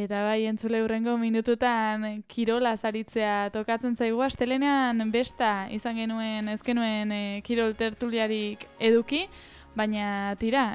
Eta bai, entzule hurrengo minututan kirola zaritzea tokatzen zaigu. Astelenean besta izan genuen, ez genuen kirol tertuliarik eduki, baina tira,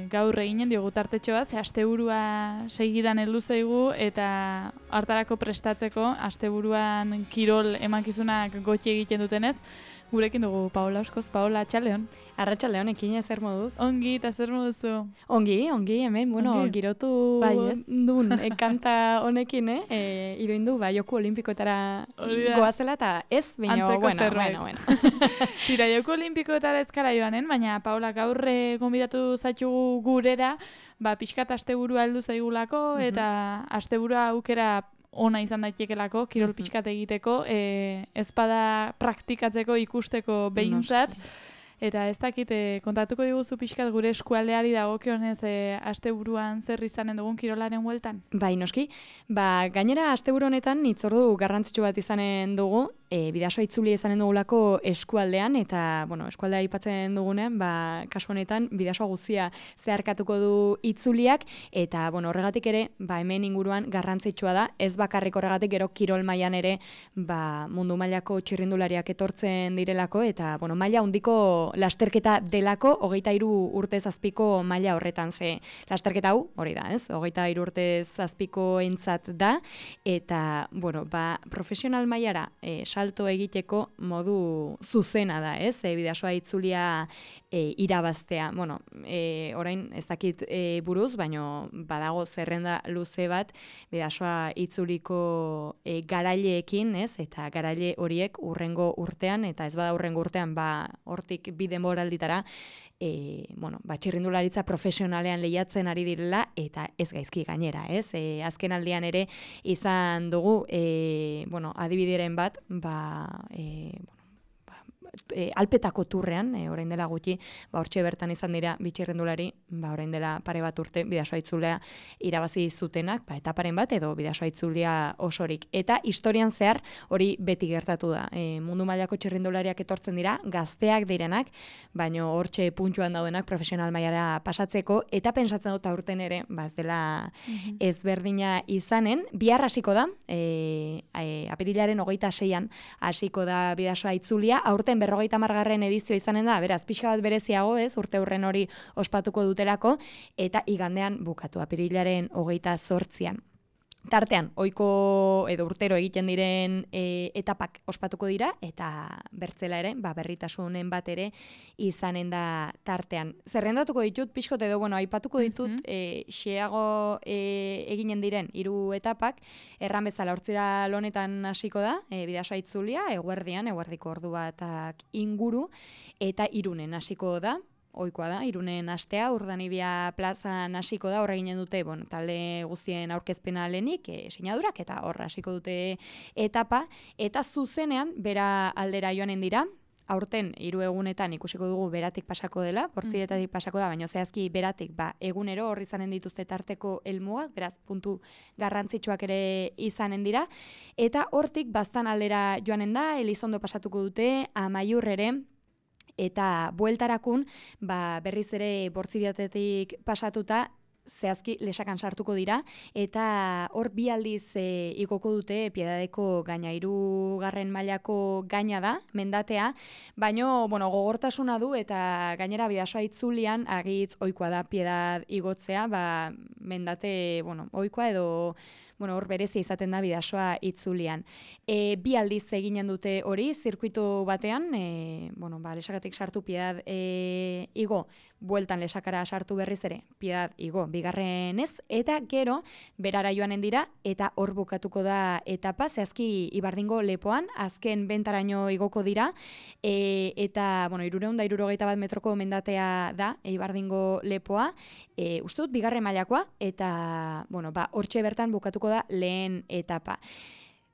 gaur eginen diogu tartetxoa, ze asteburua segidan heldu zaigu eta hartarako prestatzeko asteburuan kirol emakizunak gotxi egiten dutenez, gurekin dugu Paola Oskoz. Paola, atxaldeon. Arratxaldeon, ekin zer moduz? Ongi, eta zer moduzu? Ongi, hemen, Ongi. girotu Bai, ez? duen kanta honekin, iduindu, joku olimpikoetara goazela, eta ez, baina, Antzeko bueno. Tira, Joko Olimpikoetara ezkara joanen, baina Paola gaur gonbidatu zaitugu gurera, pixkat asteburua heldu zaigulako, eta asteburua aukera ona izan daitekelako, kirol pixkat egiteko, ezpada praktikatzeko, ikusteko behintzat. Eta ez dakit, kontatuko diguzu pixkat gure eskualdeari dagokionez asteburuan zer izanen dugun kirolaren hueltan? Bai, noski. Gainera, asteburu honetan hitzordu garrantzitsu bat izanen dugu, Bidasoa itzuli izanen dugulako eskualdean, eta, eskualdea aipatzen dugunean, kasu honetan, Bidasoa guztia zeharkatuko du itzuliak, eta, horregatik ere, hemen inguruan garrantzitsua da, ez bakarrik horregatik gero kirol mailan ere, mundu mailako txirrindulariak etortzen direlako, eta, maila handiko lasterketa delako, 23 urtez azpiko maila horretan, ze lasterketa hau, hori da, ez? 23 urtez azpiko entzat da, eta, profesional mailara salto egiteko modu zuzena da, ez? Bidasoa itzulia irabaztea. Orain ez dakit buruz, baino badago zerrenda luze bat Bidasoa itzuliko garaileekin, ez? Eta garaile horiek urrengo urtean, eta ez bada urrengo urtean, hortik bi denboralditara, txirrindularitza profesionalean lehiatzen ari direla, eta ez gaizki gainera, ez? Azken aldian ere izan dugu, adibideren bat, Alpetako turrean, orain dela gutxi, hortxe bertan izan dira bitxirrendulari, orain dela pare bat urte Bidasoa itzulea irabazi zutenak, etaparen bat edo Bidasoa itzulia osorik. Eta historian zehar hori beti gertatu da. Mundu mailako txirrindulariak etortzen dira, gazteak direnak, baino hortxe puntxuan daudenak profesional mailara pasatzeko, eta pentsatzen dut aurten ere, ez dela ezberdina izanen, bihar hasiko da, apirilaren 26an hasiko da Bidasoa itzulia, aurten 50. edizio izanen da, beraz, pixka bat bereziago ez, urte hurren hori ospatuko dutelako, eta igandean bukatu, apirilaren 28an. Tartean, ohiko edo urtero egiten diren etapak ospatuko dira, eta bertzela ere, berritasunen bat ere izanen da tartean. Zerrendatuko ditut, pixkot edo, aipatuko ditut, xeago eginen diren 3 etapak, erran bezala hortzira lonetan hasiko da, Bidasoa itzulia, eguerdiko ordu batak inguru, eta Irunen hasiko da, ohikoa da, Irunen astea, Urdanibia plazan hasiko da, horre ginen dute, talde guztien aurkezpena lehenik, sinadurak, eta horra hasiko dute etapa, eta zuzenean, bera aldera joanen dira, aurten 3 egunetan ikusiko dugu beratik pasako dela, portziretatik pasako da, baina zehazki beratik, egunero horri izanen dituzte tarteko helmugak, beraz puntu garrantzitsuak ere izanen dira, eta hortik baztan aldera joanen da, Elizondo pasatuko dute, Amaiur ere, eta bueltarakun, berriz ere Bortziriatetik pasatuta, zehazki lesakan sartuko dira, eta hor 2 aldiz igoko dute Piedadeko gaina, 3. mailako gaina da, mendatea, baino, gogortasuna du, eta gainera Bidasoa itzulian, agitz ohikoa da Piedad igotzea, mendate, ohikoa edo, hor berezia izaten da Bidasoa itzulian. 2 aldiz eginen dute hori, zirkuitu batean, lesakatik sartu Piedad igo, bueltan lesakara sartu berriz ere, Piedad igo, bigarrenez, eta gero berara joanen dira, eta hor bukatuko da etapa, zehazki Ibardingo lepoan, azken bentaraino igoko dira, eta, 371 metroko mendatea da, Ibardingo lepoa, uste dut, 2. mailakoa, eta, hortxe bertan bukatuko da lehen etapa.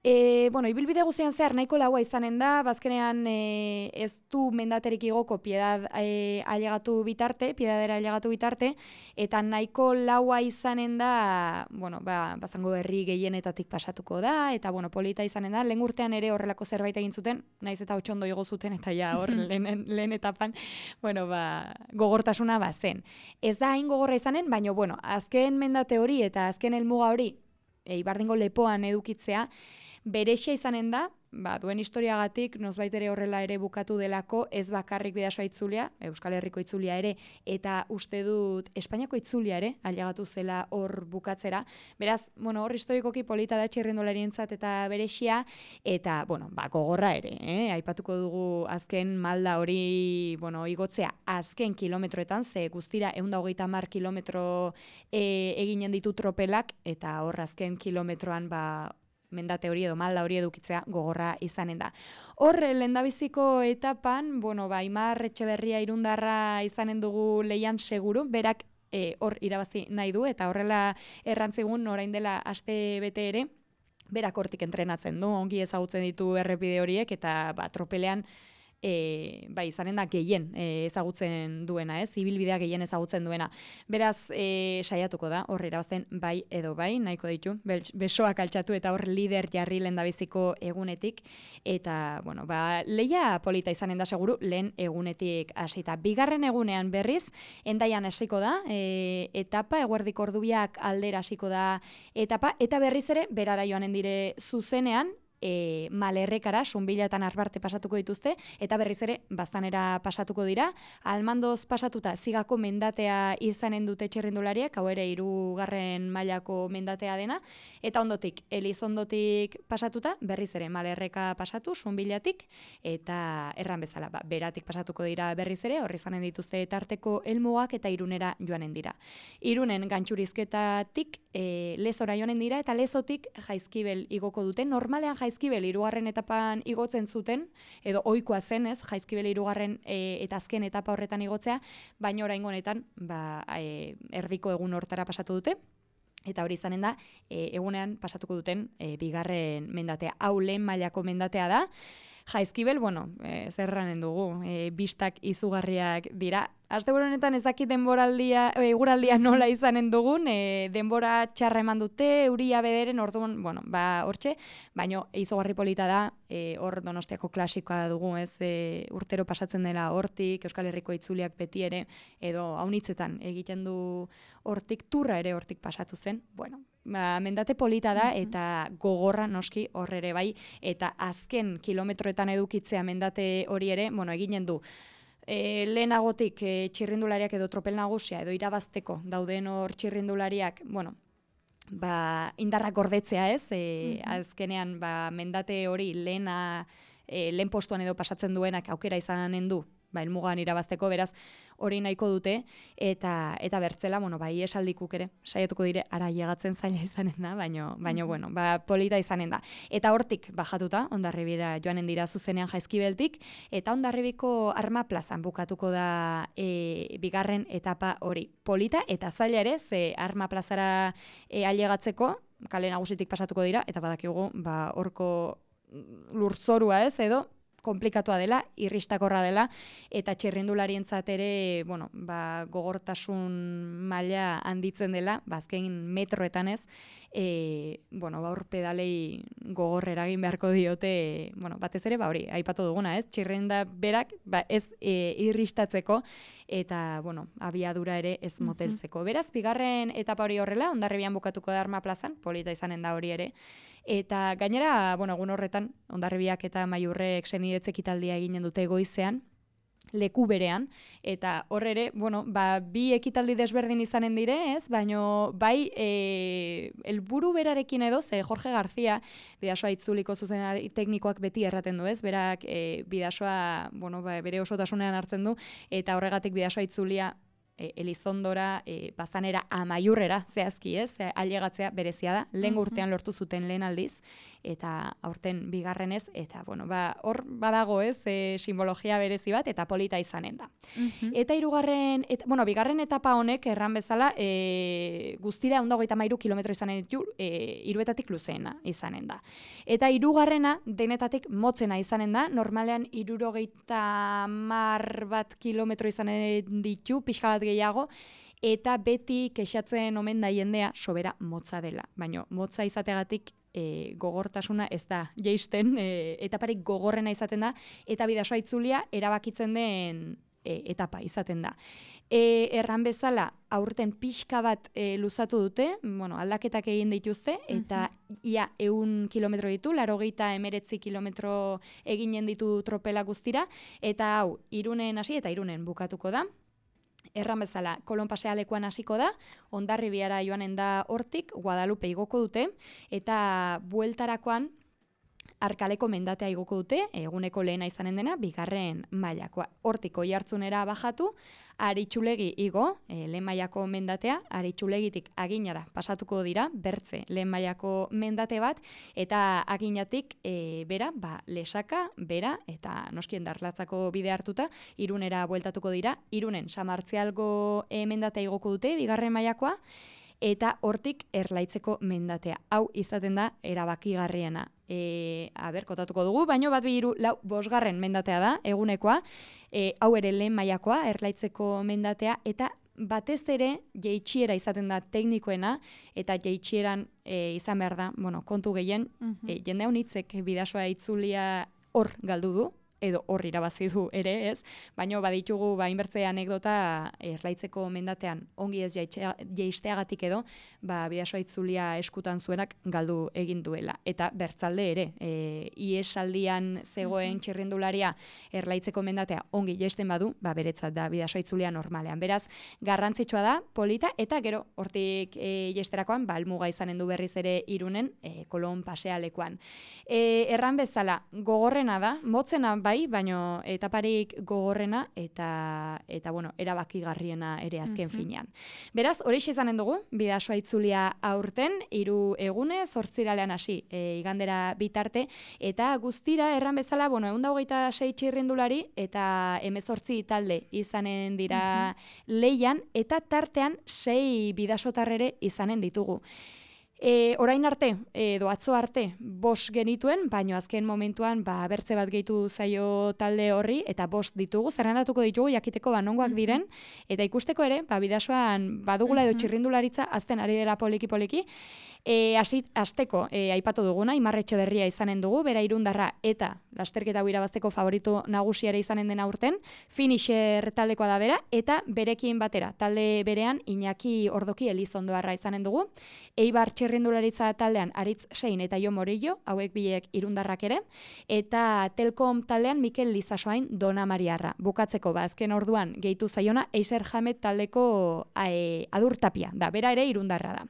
Ibilbide guztian zehar nahiko laua izanen da, bazkenean ez du mendaterik igoko Piedadera ailegatu bitarte, eta nahiko laua izanen da, bazango herri gehienetatik pasatuko da, eta polita izanen da, lehen urtean ere horrelako zerbait egin zuten, naiz eta 8 ondo igo zuten, eta ja hor lehen etapan, gogortasuna zen. Ez da hain gogorra izanen, baina azken mendate hori eta azken helmuga hori, Ibardingo lepoan edukitzea, berexia izanen da, duen historiagatik, nozbait ere horrela ere bukatu delako, ez bakarrik Bidasoa itzulia, Euskal Herriko itzulia ere, eta uste dut Espainiako itzulia ere, ailegatu zela hor bukatzera. Beraz, hor historikoki polita da txirrindularientzat eta berexia, eta, gogorra ere, aipatuko dugu azken malda hori, igotzea azken kilometroetan, ze guztira 130 kilometro eginen ditu tropelak, eta hor azken kilometroan, mendate hori edo malda hori edukitzea gogorra izanen da. Hor, lehendabiziko etapan, Aimar Etxeberria irundarra izanen dugu lehian seguru, berak hor irabazi nahi du, eta horrela errantzigun orain dela aste bete ere, berak hortik entrenatzen du, ongi ezagutzen ditu errepide horiek, eta tropelean izanen da gehien ezagutzen duena, ibilbidea gehien ezagutzen duena. Beraz, saiatuko da, hor irabazten bai edo bai, nahiko ditu, besoak altxatu eta hor lider jarri lehendabiziko egunetik, eta, lehia polita izanen da seguru, lehen egunetik hasita. Bigarren egunean berriz, Hendaian hasiko da, etapa, eguerdiko ordubiak aldera hasiko da etapa, eta berriz ere, berara joanen dire zuzenean, Malerrekara, Sunbilatan Arbarte pasatuko dituzte, eta berriz ere Baztanera pasatuko dira. Almandoz pasatuta Zigako mendatea izanen dute txirrindulariak, hau ere 3. mailako mendatea dena, eta ondotik, Elizondotik pasatuta, berriz ere Malerreka pasatu, Sunbilatik, eta erran bezala, beratik pasatuko dira berriz ere, horri izanen dituzte tarteko helmugak eta Irunera joanen dira. Irunen gantxurizketatik Lezora joanen dira, eta Lezotik Jaizkibel igoko dute. Normalean Jaizkibel 3. etapan igotzen zuten, edo ohikoa zen, Jaizkibel 3. Eta azken etapa horretan igotzea, baina oraingo honetan erdiko egun hortara pasatu dute, eta hori izanen da, egunean pasatuko duten bigarren mendatea. Hau lehen mailako mendatea da. Jaizkibel, zerranen dugu, bistak izugarriak dira. Asteburu honetan ez dakit eguraldia nola izanen dugun, denbora txarra eman dute, euria bederen, orduan, hortxe, baina izugarri polita da, hor Donostiako klasikoa dugu, urtero pasatzen dela hortik, Euskal Herriko itzuliak beti ere, edo haunitzetan egiten du hortik, turra ere hortik pasatu zen, mendate polita da, eta gogorra noski hor ere bai, eta azken kilometroetan edukitzea mendate hori ere, eginen du, lehenagotik txirrindulariak edo tropel nagusia edo irabazteko dauden hor txirrindulariak, indarrak gordetzea azkenean mendate hori lehen postuan edo pasatzen duenak aukera izanen du, helmugan irabazteko, beraz hori nahiko dute, eta bertzela, esaldikuk ere, saiatuko dire, ara llegatzen zaila izanen da, baina polita izanen da. Eta hortik bajatuta, Hondarribira joanen dira zuzenean Jaizkibeltik, eta Hondarribiko Arma plazan bukatuko da bigarren etapa hori. Polita eta zaila ere, ze Arma plazara ailegatzeko, kale nagusitik pasatuko dira, eta badakigu, horko lurtzorua edo, komplikatua dela, irristakorra dela, eta txirrindularientzat ere, gogortasun maila handitzen dela, azken metroetan hor pedalei gogor eragin beharko diote, batez ere, hori, aipatu duguna, txirrinda berak, ez irristatzeko, eta, abiadura ere ez moteltzeko. Beraz, bigarren etapa hori horrela, Hondarribian bukatuko da Arma plazan, polita izanen da hori ere, eta gainera, egun horretan, Hondarribiak eta Maiurrek senidetzek ekitaldia eginen dute goizean, leku berean, eta hor ere, bi ekitaldi desberdin izanen dire, baina bai, helburu berarekin edo, ze Jorge García, Bidasoa itzuliko zuzena teknikoak beti erraten du, berak Bidasoa, bere osotasunean hartzen du, eta horregatik Bidasoa itzulia Elizondora, Baztanera, Amaiurrera, zehazki ailegatzea berezia da, lehen urtean lortu zuten lehen aldiz, eta aurten bigarrenez, eta hor badago simbologia berezi bat, eta polita izanen da. Eta bigarren etapa honek, erran bezala, guztira 133 kilometro izanen ditu, hiruetatik luzeena izanen da. Eta hirugarrena denetatik motzena izanen da, normalean 70 kilometro izanen ditu, pixka bat gehiago, eta beti kexatzen omen da jendea sobera motza dela. Baina motza izategatik gogortasuna ez da jaisten, etaparik gogorrena izaten da, eta Bidasoa itzulia erabakitzen den etapa izaten da. Erran bezala, aurten pixka bat luzatu dute, aldaketak egin dituzte, eta ia 100 kilometro ditu, 89 kilometro eginen ditu tropela guztira, eta hau, Irunen hasi eta Irunen bukatuko da. Erran bezala, Kolon pasealekuan hasiko da, Hondarribiara joanen da hortik, Guadalupe igoko dute, eta bueltarakoan Arkaleko mendatea igoko dute, eguneko lehena izanen dena, 2. mailakoa. Hortik Oiartzunera bajatu, Aritxulegi igo, lehen mailako mendatea, Aritxulegitik Aginara pasatuko dira, Bertze lehen mailako mendate bat, eta Aginatik bera, Lesaka, bera, eta noski Endarlatzako bide hartuta, Irunera bueltatuko dira, Irunen Samartzialgo mendatea igoko dute, 2. mailakoa, eta hortik Erlaitzeko mendatea. Hau izaten da erabakigarriena. Kotatuko dugu, baino 1, 2, 3, 4, 5. mendatea da, egunekoa. Hau ere lehen mailakoa, Erlaitzeko mendatea, eta batez ere jeitsiera izaten da teknikoena, eta jeitsieran izan behar da, kontu gehien, jende honitzek bidasoa itzulia hor galdu du, edo hor irabazi du ere, ez? Baina baditugu inbertze anekdota Erlaitzeko mendatean ongi ez jeisteagatik edo, bidasoa itzulia eskutan zuenak galdu egin duela. Eta bertzalde ere, iesaldian zegoen txirrindularia Erlaitzeko mendatea ongi jeisten badu, beretzat da bidasoa itzulia normalean. Beraz, garrantzitsua da, polita, eta gero hortik jeisterakoan, almuga izanen du berriz ere Irunen, Kolon pasealekuan. Erran bezala, gogorrena da, motzena baino etaparik gogorrena eta erabakigarriena ere azken finean. Beraz, horixe izanen dugu, bidasoa itzulia aurten, 3 egunez, 8 hasi, igandera bitarte, eta guztira erran bezala, 126 txirrindulari eta 18 talde izanen dira lehian, eta tartean 6 bidasotarrere izanen ditugu. Orain arte, edo atzo arte, 5 genituen, baino azken momentuan bertze bat gehitu zaio talde horri, eta 5 ditugu, zerrendatuko ditugu, jakiteko nongoak diren, eta ikusteko ere, bidasoan badugula edo txirrindularitza, azten ari dela poliki-poliki, Asteko, aipatu duguna, Imar Etxeberria izanen dugu, bera irundarra eta lasterketa hau irabazteko favorito nagusiare izanen dena urten, finisher taldekoa da bera, eta berekin batera, talde berean Iñaki Ordoki Elizondoarra izanen dugu, Eibar txirrindularitza taldean Aritz Sein eta Jo Morillo, hauek biek irundarrak ere, eta Telkom taldean Mikel Lizasoain Dona Mariarra. Bukatzeko, azken orduan gehitu zaiona, Eiser Jamet taldeko Adurtapia, da, bera ere irundarra da.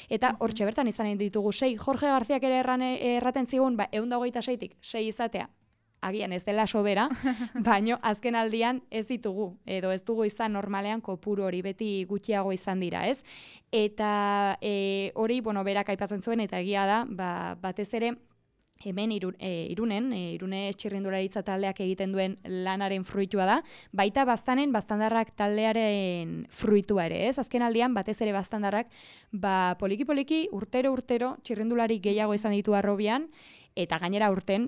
Eta hortxe bertan izanen ditugu 6, Jorge Garziak ere erraten zigun, 126tik 6 izatea, agian ez dela sobera, baino azken aldian ez ditugu, edo ez dugu izan normalean kopuru hori beti gutxiago izan dira, ez? Eta hori, berak aipatzen zuen, eta egia da, batez ere, hemen Irune txirrindularitza taldeak egiten duen lanaren fruitua da, baita Baztandarrak taldearen fruitua ere, ez? Azken aldian, batez ere Baztandarrak, poliki-poliki, urtero txirrindulari gehiago izan ditu Harrobian, eta gainera urten,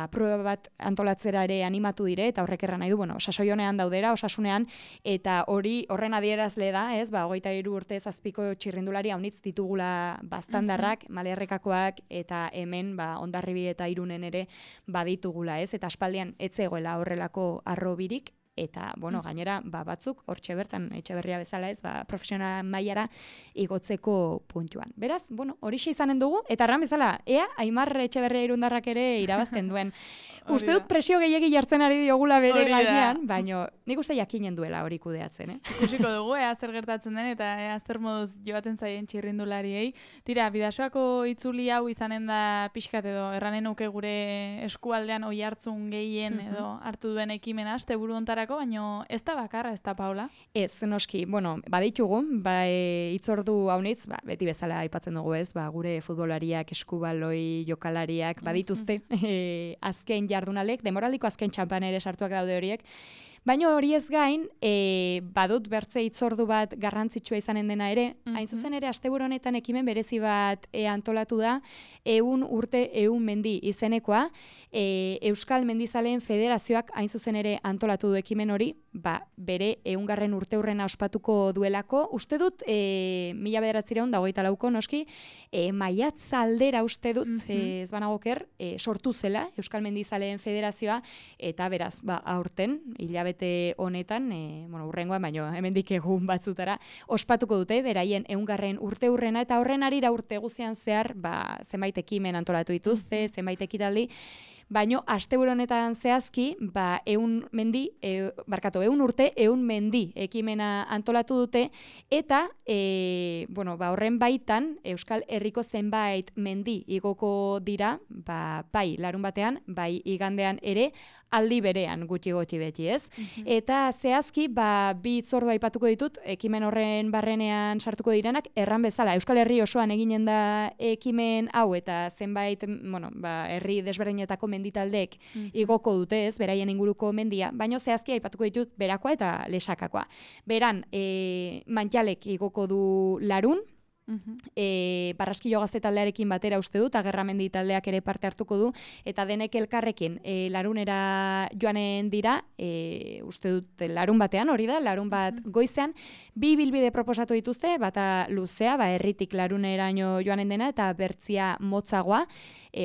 prueba bat antolatzera ere animatu dire, eta horrek erran nahi du, sasoi honean daudera, osasunean, eta horren adierazle da, ez, 23 urte zazpiko txirrindulari haunitz ditugula Baztandarrak, Malerrekakoak, eta hemen, Hondarribi eta Irunen ere baditugula, ez, eta aspaldian ez zegoela horrelako Harrobirik, eta, gainera, batzuk, hortxe bertan, Etxeberria bezala ez, profesional mailara igotzeko puntuan. Beraz, horixe izanen dugu, eta erran bezala, Aimar Etxeberria irundarrak ere irabazten duen. Uste dut presio gehiegi jartzen ari diogula bere gainean, baina nik uste jakinen duela hori kudeatzen, Ikusiko dugu, zer gertatzen den, eta zer moduz joaten zaien txirrindulariei. Tira, bidasoako itzuli hau izanen da pixkat edo, erranen nuke gure eskualdean Oiartzun gehien edo hartu duen ekimena, asteburu hontarako, baina ez da bakarra, ez da, Paula? Ez, noski, baditugu, hitzordu haunitz, beti bezala aipatzen dugu ez, gure futbolariak, eskubaloi, jokalariak, badituzte, azken jardunalek, demoraldiko azken txampan ere sartuak daude horiek, baina hori ez gain, badut bertze hitzordu bat garrantzitsua izanen dena ere, hain zuzen ere asteburu honetan ekimen berezi bat antolatu da, 100 urte 100 mendi izenekoa, Euskal Mendizaleen Federazioak hain zuzen ere antolatu du ekimen hori, bere 100. urteurrena ospatuko duelako, uste dut, 1924ko noski, maiatz aldera uste dut, ez banagoker, sortu zela Euskal Mendizaleen Federazioa, eta beraz, aurten, hilabete hilabete honetan, urrengoan, baino, hemendik egun batzutara, ospatuko dute, beraien 100. urteurrena, eta horren arira urte guzian zehar, zenbait ekimen antolatu dituzte, zenbait ekitaldi, baino, asteburu honetan zehazki, 100 urte, 100 mendi ekimena antolatu dute, eta, horren baitan, Euskal Herriko zenbait mendi igoko dira, bai larun batean, bai igandean ere, aldi berean gutxi beti, ez? Eta zehazki, bi hitzordu aipatuko ditut, ekimen horren barrenean sartuko direnak, erran bezala, Euskal Herri osoan eginen da ekimen hau, eta zenbait, herri desberdinetako menditaldeek igoko dute, ez, beraien inguruko mendia, baino zehazki aipatuko ditut berakoa eta lesakakoa. Beran, Mantxalek igoko du larun, Barraskilo Gazte taldearekin batera uste dut, Agerramendi taldeak ere parte hartuko du, eta denek elkarrekin larunera joanen dira, uste dut larun batean, hori da, larun bat goizean, 2 ibilbide proposatu dituzte, bata luzea, herritik laruneraino joanen dena, eta bertzia motzagoa,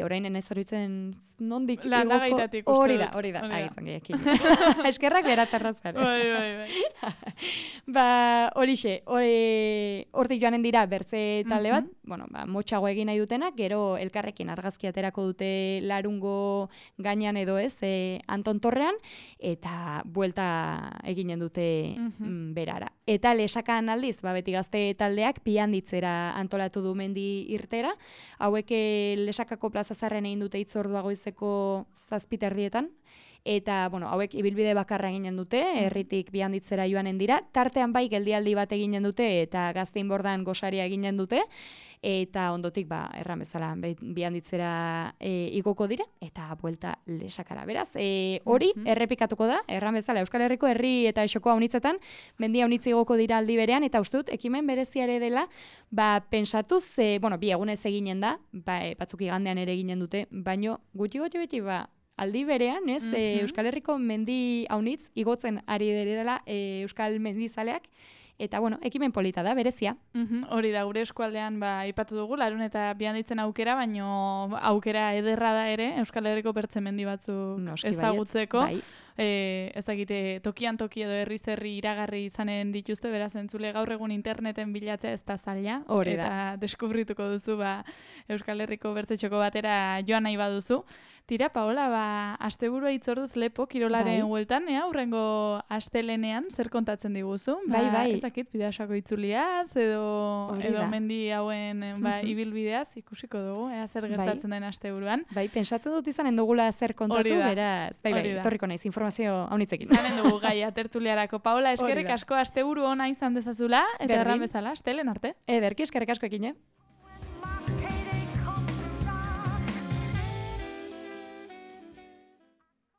orain ez horitzen nondik Landagaitatik igoko, uste dut. hori da, agitzen gehiakin. Eskerrak beratarrazare. Bai. Horixe, hortik joanen dira bertze talde bat, motxago egin nahi dutenak, gero elkarrekin argazki aterako dute larungo gainean edo ez, Anton Torrean, eta buelta eginen dute berara. Eta lesakan aldiz, beti Gazte taldeak Pianditzera antolatu du mendi irtera, hauek Lesakako Plaza Zarren egin dute hitzordua goizeko 7:30, eta, hauek ibilbide bakarra eginen dute, herritik Pianditzera joanen dira, tartean bai geldialdi bat eginen dute, eta Gazteinbordan gosaria eginen dute, eta ondotik, erran bezala, Pianditzera igoko dira, eta buelta Lesakara. Beraz, hori errepikatuko da, erran bezala, Euskal Herriko herri eta esokoa unitzetan, mendia unitzi igoko dira aldi berean, eta uste dut, ekimen bereziare dela, pentsatuz, bi egunez eginen da, batzuk igandean ere eginen dute, baino gutxi beti, aldi berean, ez, Euskal Herriko mendi haunitz igotzen ari dela Euskal Mendizaleak, eta, ekimen polita da, berezia. Hori da, gure eskualdean aipatu dugu, larun eta Pianditzen aukera, baino aukera ederra da ere, Euskal Herriko bertze mendi batzuk ezagutzeko. Ez dakite, tokian edo herri iragarri izanen dituzte, beraz entzule gaur egun interneten bilatzea ez da zaila, eta deskubrituko duzu Euskal Herriko bertzetxoko batera joan nahi baduzu. Tira, Paola, asteburua hitzorduz lepo, kirolaren hueltan, hurrengo astelenean, zer kontatzen diguzu? Bai. Ez dakit, Bidasoako itzuliaz, edo mendi hauen ibilbideaz, ikusiko dugu, zer gertatzen den asteburuan. Bai, pentsatzen dut izanen dugula zer kontatu, beraz, torriko naiz, informazio haunitzekin. Izanen dugu gaia tertuliarako. Paola, eskerrik asko asteburu ona izan dezazula, eta erran bezala, astelen arte. Ederki, eskerrik asko ekine.